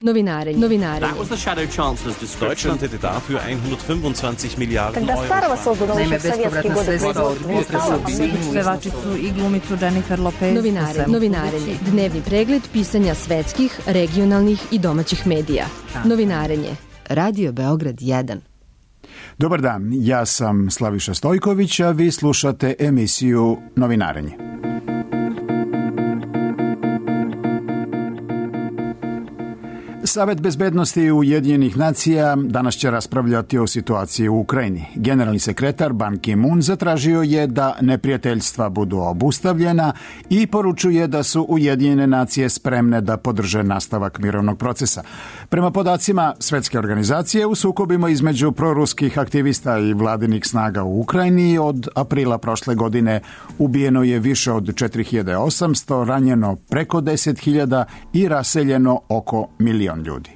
Novinarenje. That was the Shadow Chancellor's description. Deutschland hätte dafür 125 Miliarden Когда старого создано еще в советские годы производства, pevačicu i glumicu Jennifer Lopez. Novinarenje. Dnevni pregled pisanja svetskih, regionalnih i domaćih medija. Novinarenje. Radio Beograd 1. Dobar dan, ja sam Slaviša Stojković, a vi slušate emisiju Novinarenje. Savet bezbednosti Ujedinjenih nacija danas će raspravljati o situaciji u Ukrajini. Generalni sekretar Ban Ki-moon zatražio je da neprijateljstva budu obustavljena i poručuje da su Ujedinjene nacije spremne da podrže nastavak mirovnog procesa. Prema podacima Svetske organizacije, u sukobima između proruskih aktivista i vladinih snaga u Ukrajini od aprila prošle godine ubijeno je više od 4800, ranjeno preko 10.000 i raseljeno oko 1 milion ljudi.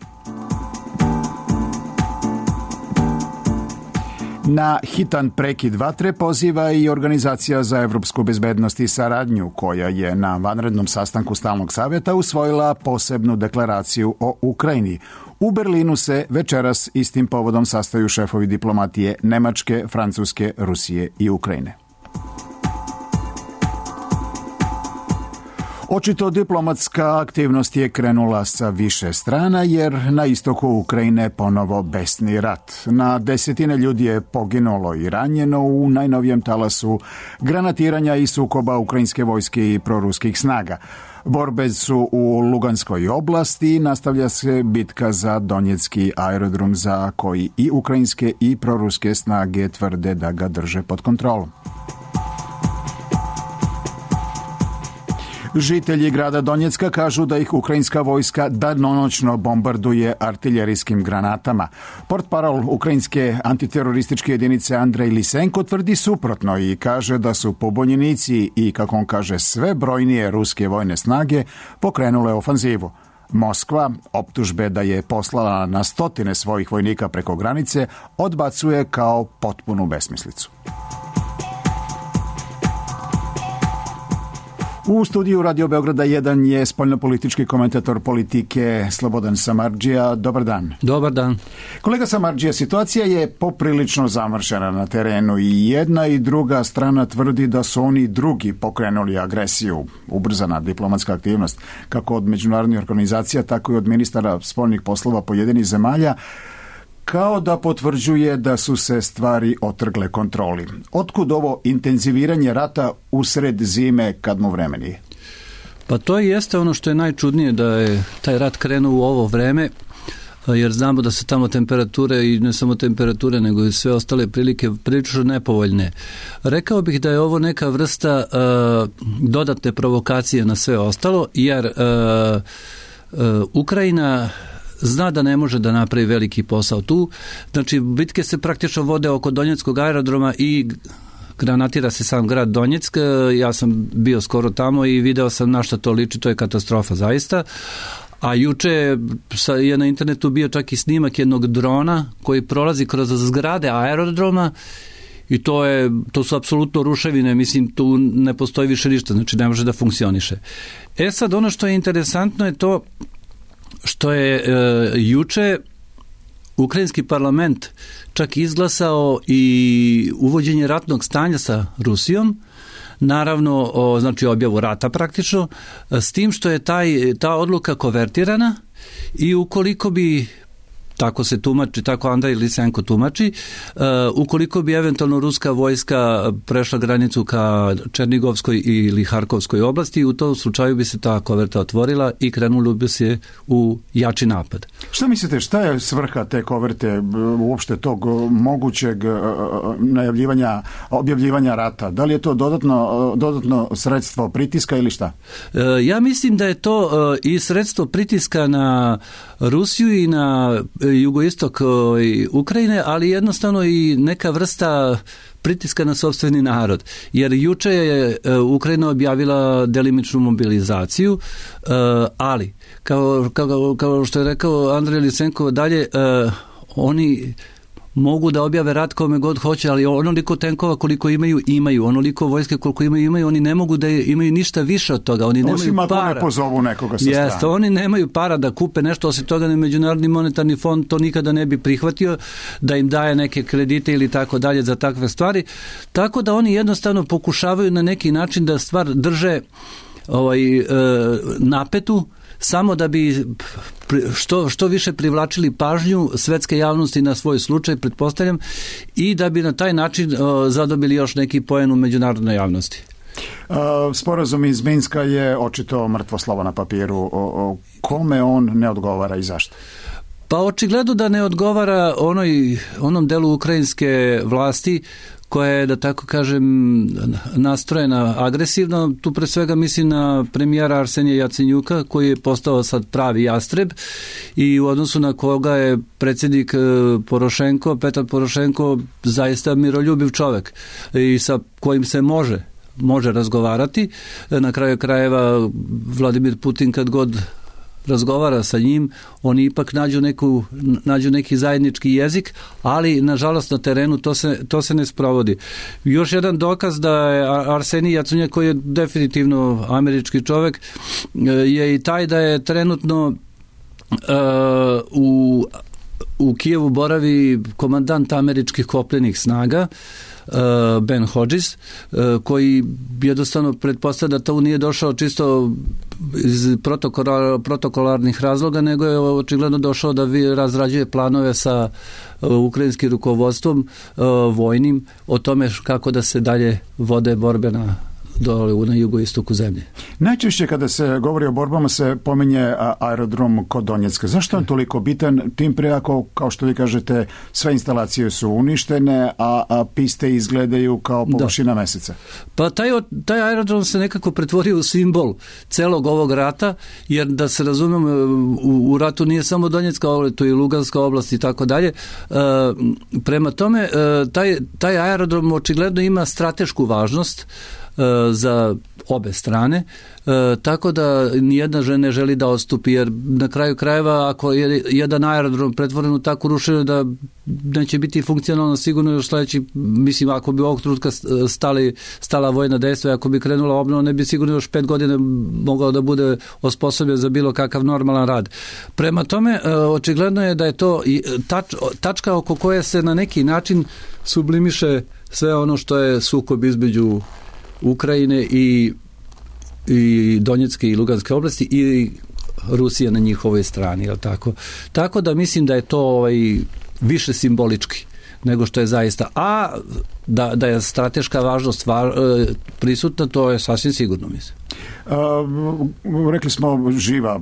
Na hitan prekid vatre poziva i Organizacija za evropsku bezbednost i saradnju, koja je na vanrednom sastanku Stalnog savjeta usvojila posebnu deklaraciju o Ukrajini. U Berlinu se večeras istim povodom sastaju šefovi diplomatije Nemačke, Francuske, Rusije i Ukrajine. Očito diplomatska aktivnost je krenula sa više strana, jer na istoku Ukrajine ponovo besni rat. Na desetine ljudi je poginulo i ranjeno u najnovijem talasu granatiranja i sukoba ukrajinske vojske i proruskih snaga. Borbe su u Luganskoj oblasti i nastavlja se bitka za Donjecki aerodrom, za koji i ukrajinske i proruske snage tvrde da ga drže pod kontrolom. Žitelji grada Donjecka kažu da ih ukrajinska vojska danonoćno bombarduje artiljerijskim granatama. Portparol ukrajinske antiterorističke jedinice Andrej Lisenko tvrdi suprotno i kaže da su pobunjenici i, kako on kaže, sve brojnije ruske vojne snage pokrenule ofanzivu. Moskva optužbe da je poslala na stotine svojih vojnika preko granice odbacuje kao potpunu besmislicu. U studiju Radio Beograda 1 je spoljnopolitički komentator politike Slobodan Samardžija. Dobar dan. Dobar dan. Kolega Samardžija, situacija je poprilično zamršena na terenu i jedna i druga strana tvrdi da su oni drugi pokrenuli agresiju. Ubrzana diplomatska aktivnost, kako od međunarodnih organizacija, tako i od ministara spoljnih poslova pojedinih zemalja, kao da potvrđuje da su se stvari otrgle kontroli. Otkud ovo intenziviranje rata usred zime kad mu vreme nije? Pa to jeste ono što je najčudnije, da je taj rat krenuo u ovo vreme, jer znamo da se tamo temperature, i ne samo temperature, nego i sve ostale prilike prilično nepovoljne. Rekao bih da je ovo neka vrsta dodatne provokacije na sve ostalo, jer Ukrajina zna da ne može da napravi veliki posao tu. Znači, bitke se praktično vode oko Donjeckog aerodroma i granatira se sam grad Donjeck. Ja sam bio skoro tamo i video sam na šta to liči, to je katastrofa zaista. A juče je na internetu bio čak i snimak jednog drona koji prolazi kroz zgrade aerodroma i to su apsolutno ruševine, mislim, tu ne postoji više ništa, znači ne može da funkcioniše. Sad, ono što je interesantno je to što je juče ukrajinski parlament čak izglasao i uvođenje ratnog stanja sa Rusijom, naravno, znači objavu rata praktično, s tim što je ta odluka konvertirana i ukoliko bi, tako se tumači, tako Andrej Lisenko tumači, ukoliko bi eventualno ruska vojska prešla granicu ka Černigovskoj ili Harkovskoj oblasti, u tom slučaju bi se ta koverta otvorila i krenulo bi se u jači napad. Šta mislite, šta je svrha te koverte, uopšte tog mogućeg najavljivanja, objavljivanja rata? Da li je to dodatno sredstvo pritiska ili šta? Ja mislim da je to i sredstvo pritiska na Rusiju i na jugoistok Ukrajine, ali jednostavno i neka vrsta pritiska na sopstveni narod. Jer juče je Ukrajina objavila delimičnu mobilizaciju, ali kao što je rekao Andrej Lisenko dalje, oni mogu da objave rat kome god hoće, ali onoliko tenkova koliko imaju, onoliko vojske koliko imaju, oni ne mogu da imaju ništa više od toga, oni nemaju para. Ne pozovu nekoga sa strane. Jeste, oni nemaju para da kupe nešto, osim toga ne Međunarodni monetarni fond to nikada ne bi prihvatio, da im daje neke kredite ili tako dalje za takve stvari, tako da oni jednostavno pokušavaju na neki način da stvar drže napetu, samo da bi što više privlačili pažnju svetske javnosti na svoj slučaj, pretpostavljam, i da bi na taj način zadobili još neki poen u međunarodnoj javnosti. Sporazum iz Minska je očito mrtvo slovo na papiru. Kome on ne odgovara i zašto? Pa očigledno da ne odgovara onom delu ukrajinske vlasti koja je, da tako kažem, nastrojena agresivno. Tu pre svega mislim na premijera Arsenija Jacenjuka, koji je postao sad pravi jastreb i u odnosu na koga je predsjednik Petar Porošenko zaista miroljubiv čovjek i sa kojim se može razgovarati. Na kraju krajeva Vladimir Putin kad god razgovara sa njim, oni ipak nađu neki zajednički jezik, ali nažalost na terenu to se ne sprovodi. Još jedan dokaz da je Arsenij Jacenjuk, koji je definitivno američki čovjek, je i taj da je trenutno u Kijevu boravi komandant američkih kopljenih snaga Ben Hodges, koji jednostavno pretpostavlja da to nije došao čisto iz protokolarnih razloga, nego je očigledno došao da razrađuje planove sa ukrajinskim rukovodstvom vojnim o tome kako da se dalje vode borbe dole na jugoistoku zemlje. Najčešće kada se govori o borbama se pominje aerodrom kod Donjecka. Zašto je on toliko bitan? Tim pre ako, kao što vi kažete, sve instalacije su uništene, a piste izgledaju kao površina meseca. Pa taj aerodrom se nekako pretvorio u simbol celog ovog rata, jer da se razumemo, u ratu nije samo Donjecka oblast, to je i Luganska oblast i tako dalje. Prema tome, taj aerodrom očigledno ima stratešku važnost za obe strane, tako da nijedna žena ne želi da odstupi, jer na kraju krajeva ako je jedan aerodrom pretvoren u takvu ruševinu da neće biti funkcionalno sigurno još sledeći, mislim, ako bi ovog trenutka stala vojna dejstva, ako bi krenula obnova, ne bi sigurno još 5 godina mogao da bude osposobljen za bilo kakav normalan rad. Prema tome, očigledno je da je to tačka oko koje se na neki način sublimiše sve ono što je sukob između Ukrajine i Donjecke i Luganske oblasti i Rusije na njihovoj strani, je tako? Tako da mislim da je to više simbolički nego što je zaista. A da je strateška važnost prisutna, to je sasvim sigurno, mislim. Rekli smo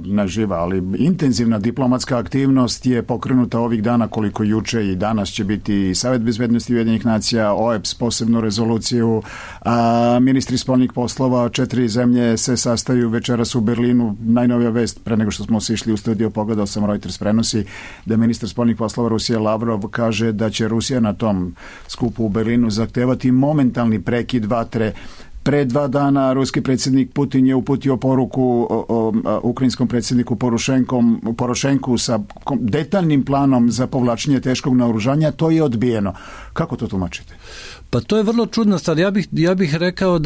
ne živa, ali intenzivna diplomatska aktivnost je pokrenuta ovih dana, koliko juče i danas će biti Savet bezbednosti Ujedinjenih nacija, OEBS posebnu rezoluciju, ministri spoljnih poslova 4 zemlje se sastaju večeras u Berlinu. Najnovija vest, pre nego što smo se išli u studio, pogledao sam, Reuters prenosi da ministar spoljnih poslova Rusije Lavrov kaže da će Rusija na tom skupu u Berlinu zahtevati momentalni prekid vatre. Pre 2 dana ruski predsjednik Putin je uputio poruku ukrajinskom predsjedniku Porošenku sa detaljnim planom za povlačenje teškog naoružanja. To je odbijeno. Kako to tumačite? Pa to je vrlo čudna stvar. Ja bih rekao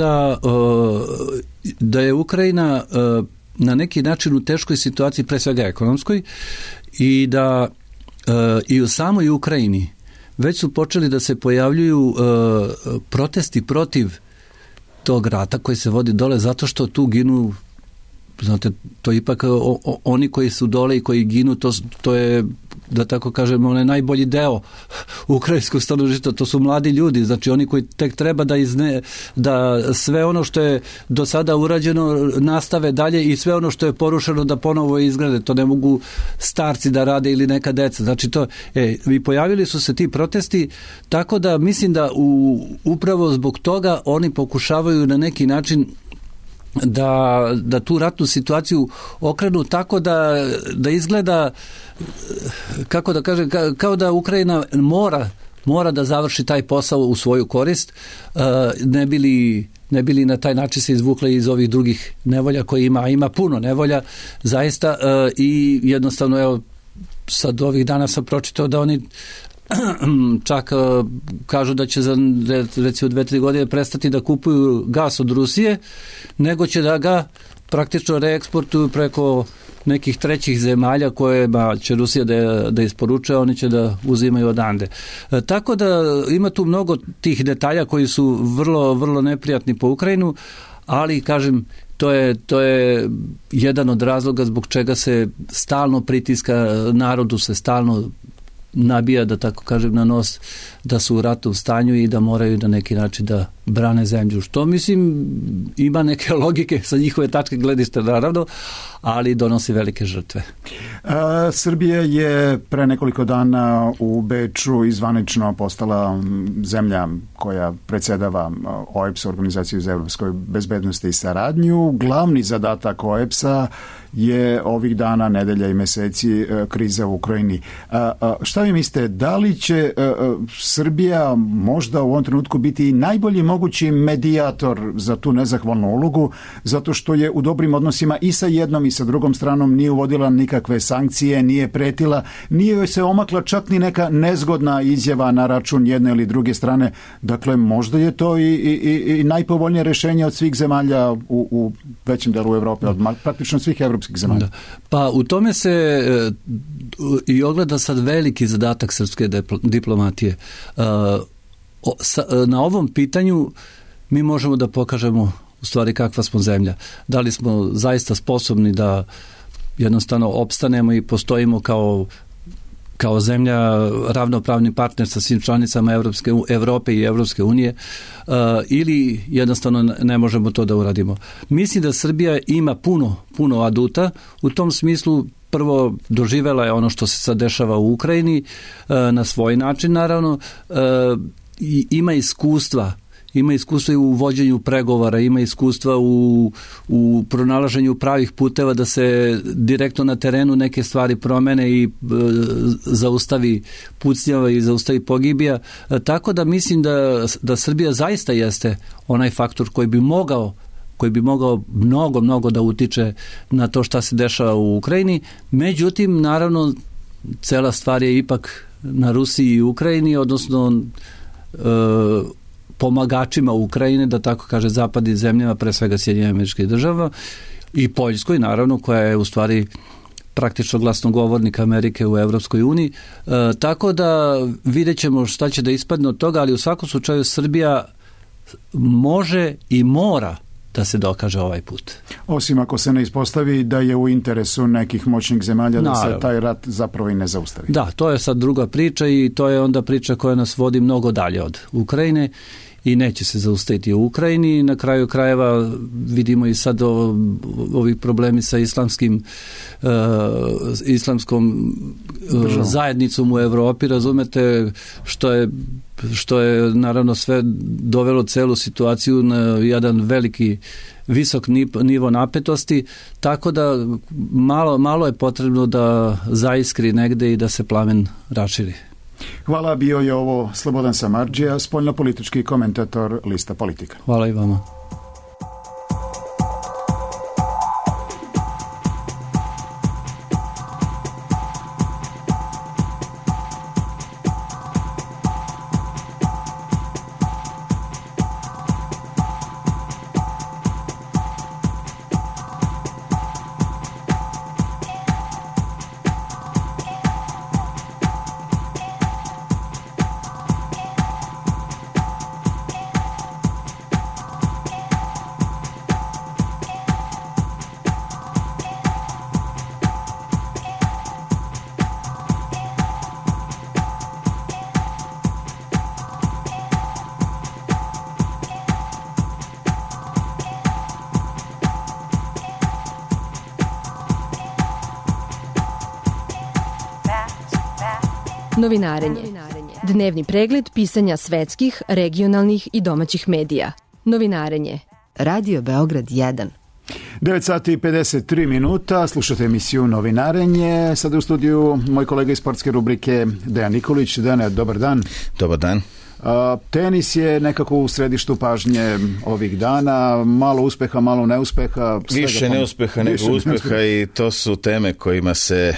da je Ukrajina na neki način u teškoj situaciji, pre svega ekonomskoj, i da i u samoj Ukrajini već su počeli da se pojavljuju protesti protiv tog rata koji se vodi dole, zato što tu ginu, znate, to ipak oni koji su dole i koji ginu, to je, da tako kažemo, onaj najbolji deo ukrajinskog stanovništva, to su mladi ljudi, znači oni koji tek treba da sve ono što je do sada urađeno nastave dalje i sve ono što je porušeno da ponovo izgrade, to ne mogu starci da rade ili neka deca, znači to, i pojavili su se ti protesti, tako da mislim da upravo zbog toga oni pokušavaju na neki način da tu ratnu situaciju okrenu tako da izgleda, kako da kažem, kao da Ukrajina mora da završi taj posao u svoju korist, ne bili na taj način se izvukla iz ovih drugih nevolja koje ima puno nevolja zaista, i jednostavno, evo, sad ovih dana sam pročitao da oni čak kažu da će za recimo 2-3 godine prestati da kupuju gas od Rusije, nego će da ga praktično reeksportuju preko nekih trećih zemalja kojima će Rusija da isporučuje, oni će da uzimaju odande. Tako da ima tu mnogo tih detalja koji su vrlo, vrlo neprijatni po Ukrajinu, ali kažem, to je jedan od razloga zbog čega se stalno pritiska, narodu se stalno nabija, da tako kažem, na nos da su u ratnom stanju i da moraju na neki način da brane zemlju. Što mislim ima neke logike sa njihove tačke gledišta naravno, ali donosi velike žrtve. Srbija je pre nekoliko dana u Beču izvanično postala zemlja koja predsjedava OEBS, Organizaciju za evropskoj bezbednosti i saradnju. Glavni zadatak OEBS-a je ovih dana, nedelja i meseci kriza u Ukrajini. Šta vi mislite, da li će Srbija možda u ovom trenutku biti najbolji mogući medijator za tu nezahvalnu ulogu, zato što je u dobrim odnosima i sa jednom i sa drugom stranom, nije uvodila nikakve sankcije, nije pretila, nije joj se omakla čak ni neka nezgodna izjava na račun jedne ili druge strane. Dakle, možda je to i najpovoljnije rješenje od svih zemalja u većem delu Evrope, od praktično svih evropskih zemalja. Da. Pa u tome se i ogleda sad veliki zadatak srpske diplomatije. Na ovom pitanju mi možemo da pokažemo u stvari kakva smo zemlja. Da li smo zaista sposobni da jednostavno opstanemo i postojimo kao zemlja, ravnopravni partner sa svim članicama Evrope i Evropske unije, ili jednostavno ne možemo to da uradimo. Mislim da Srbija ima puno aduta. U tom smislu prvo doživela je ono što se sad dešava u Ukrajini na svoj način naravno, i ima iskustva i u vođenju pregovora, ima iskustva u pronalaženju pravih puteva da se direktno na terenu neke stvari promene i zaustavi pucnjava i zaustavi pogibija. Tako da mislim da Srbija zaista jeste onaj faktor koji bi mogao mnogo da utiče na to šta se dešava u Ukrajini. Međutim, naravno, cela stvar je ipak na Rusiji i Ukrajini, odnosno pomagačima Ukrajine, da tako kaže, zapadnim zemljama, pre svega Sjedinjenim Američkih Država i Poljskoj, naravno, koja je u stvari praktično glasnogovornik Amerike u Evropskoj uniji. Tako da vidjet ćemo šta će da ispadne od toga, ali u svakom slučaju Srbija može i mora da se dokaže ovaj put. Osim ako se ne ispostavi da je u interesu nekih moćnih zemalja da se taj rat zapravo i ne zaustavi. Da, to je sad druga priča i to je onda priča koja nas vodi mnogo dalje od Ukrajine i neće se zaustaviti u Ukrajini. Na kraju krajeva vidimo i sad ovi problemi sa islamskom zajednicom u Evropi, razumete, što je naravno sve dovelo celu situaciju na jedan visok nivo napetosti, tako da malo je potrebno da zaiskri negde i da se plamen raširi. Hvala, bio je ovo Slobodan Samardžija, spoljnopolitički komentator Lista Politika. Hvala i vama. Novinarenje. Dnevni pregled pisanja svetskih, regionalnih i domaćih medija. Novinarenje. Radio Beograd 1. 9 sati i 53 minuta, slušate emisiju Novinarenje. Sada u studiju moj kolega iz sportske rubrike Dejan Nikolić. Dejane, dobar dan. Dobar dan. Tenis je nekako u središtu pažnje ovih dana, malo uspeha, malo neuspeha. Više neuspeha nego uspeha i to su teme kojima se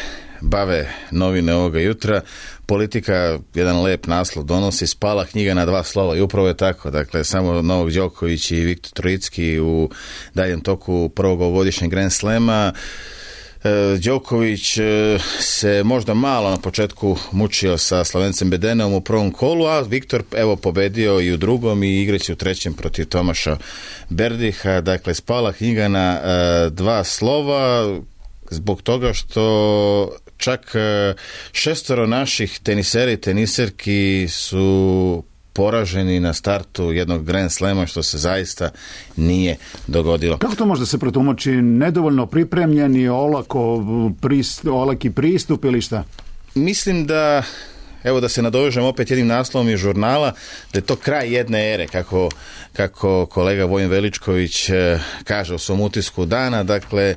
bave novine ovoga jutra. Politika jedan lep naslov donosi, spala knjiga na 2 slova i upravo je tako. Dakle, samo Novak Đoković i Viktor Trojicki u daljem toku prvog ovogodišnjeg Grand Slema. Đoković se možda malo na početku mučio sa Slavencem Bedenom u prvom kolu, a Viktor evo pobedio i u drugom i igraće u trećem protiv Tomaša Berdiha. Dakle, spala knjiga na 2 slova zbog toga što čak 6 naših tenisera i teniserki su poraženi na startu jednog Grand Slema, što se zaista nije dogodilo. Kako to možda se protumači? Nedovoljno pripremljeni, olaki pristup ili šta? Mislim da, evo da se nadovežem opet jednim naslovom iz žurnala, da je to kraj jedne ere, kako kolega Vojin Veličković kaže u svom utisku dana. Dakle,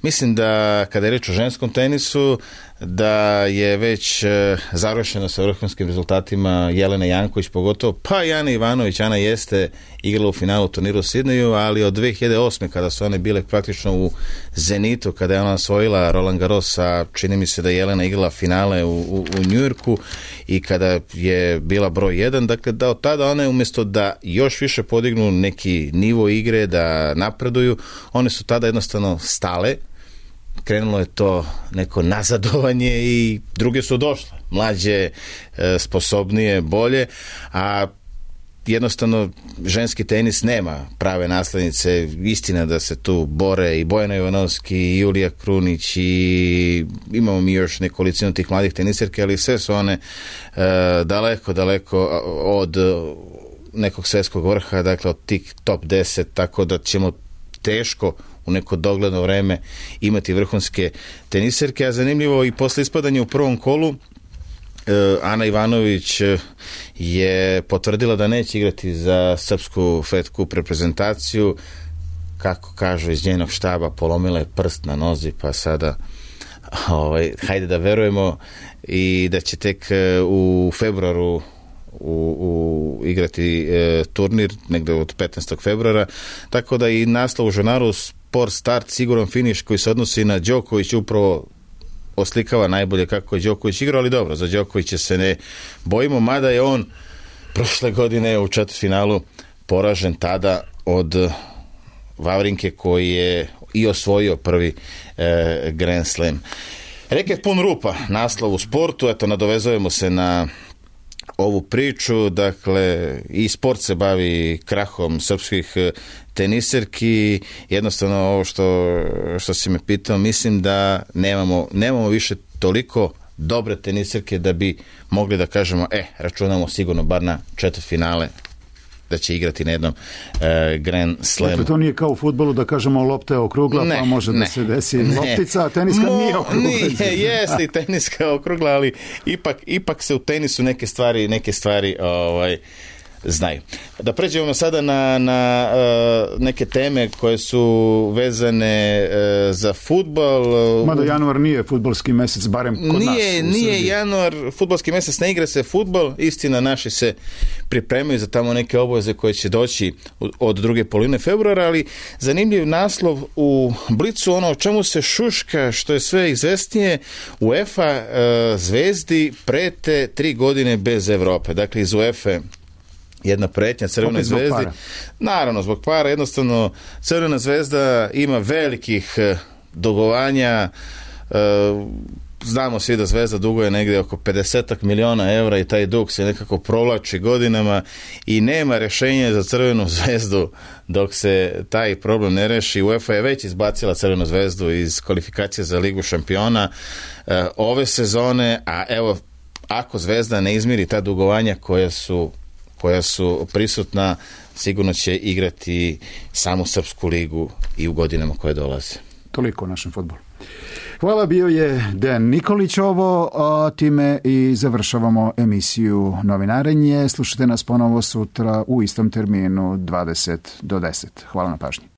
mislim da kada je reč o ženskom tenisu, da je već završeno sa vrhunskim rezultatima Jelena Janković pogotovo, pa i Ana Ivanović. Ana jeste igrala u finalu turniru u Sidneju, ali od 2008. kada su one bile praktično u zenitu, kada je ona osvojila Roland Garros, a čini mi se da je Jelena igrala finale u Njujorku i kada je bila broj 1, dakle da od tada one umjesto da još više podignu neki nivo igre, da napreduju, one su tada jednostavno stale. Krenulo je to neko nazadovanje i druge su došle, mlađe, sposobnije, bolje, a jednostavno ženski tenis nema prave naslednice. Istina da se tu bore i Bojana Ivanovski i Julija Krunić i imamo mi još nekolicinu tih mladih teniserke, ali sve su one daleko od nekog svjetskog vrha, dakle od tih top 10, tako da ćemo teško u neko dogledno vreme imati vrhunske teniserke. A zanimljivo i posle ispadanja u prvom kolu Ana Ivanović je potvrdila da neće igrati za srpsku Fed Cup reprezentaciju. Kako kažu iz njenog štaba, polomila je prst na nozi, pa sada hajde da verujemo i da će tek u februaru igrati turnir negde od 15. februara, tako da i naslov u žurnalu Sport Start siguran finiš koji se odnosi na Đoković upravo oslikava najbolje kako je Đoković igrao, ali dobro, za Đokovića se ne bojimo, mada je on prošle godine u četvrtfinalu poražen tada od Vavrinke koji je i osvojio prvi Grand Slam. Reket pun rupa, naslov u sportu, eto nadovezujemo se na ovu priču, dakle i sport se bavi krahom srpskih teniserki. Jednostavno ovo što si me pitao, mislim da nemamo više toliko dobre teniserke da bi mogli da kažemo računamo sigurno bar na četvrtfinale da će igrati na jednom Grand Slamu. Dakle, to nije kao u fudbalu da kažemo lopta je okrugla, pa može da se desi loptica, a teniska nije okrugla. Jeste i teniska okrugla, ali ipak se u tenisu neke stvari znaju. Da pređemo sada na neke teme koje su vezane za fudbal. Mada januar nije fudbalski mesec, barem kod nas. Nije januar fudbalski mesec, ne igra se fudbal, istina naši se pripremaju za tamo neke obaveze koje će doći od druge polovine februara, ali zanimljiv naslov u Blicu, ono o čemu se šuška, što je sve izvesnije, UEFA zvezdi prete 3 godine bez Evrope. Dakle, iz UEFA jedna pretnja Crvenoj zvezdi. Naravno, zbog para. Jednostavno, Crvena zvezda ima velikih dugovanja. Znamo svi da Zvezda duguje negdje oko 50 miliona evra i taj dug se nekako provlači godinama i nema rješenja za Crvenu zvezdu dok se taj problem ne reši. UEFA je već izbacila Crvenu zvezdu iz kvalifikacije za Ligu šampiona ove sezone, a evo, ako Zvezda ne izmiri ta dugovanja koja su prisutna, sigurno će igrati samu srpsku ligu i u godinama koje dolaze. Toliko o našem fudbalu. Hvala, bio je Dejan Nikolić ovo, a time i završavamo emisiju Novinarenje. Slušajte nas ponovo sutra u istom terminu 20 do 10. Hvala na pažnji.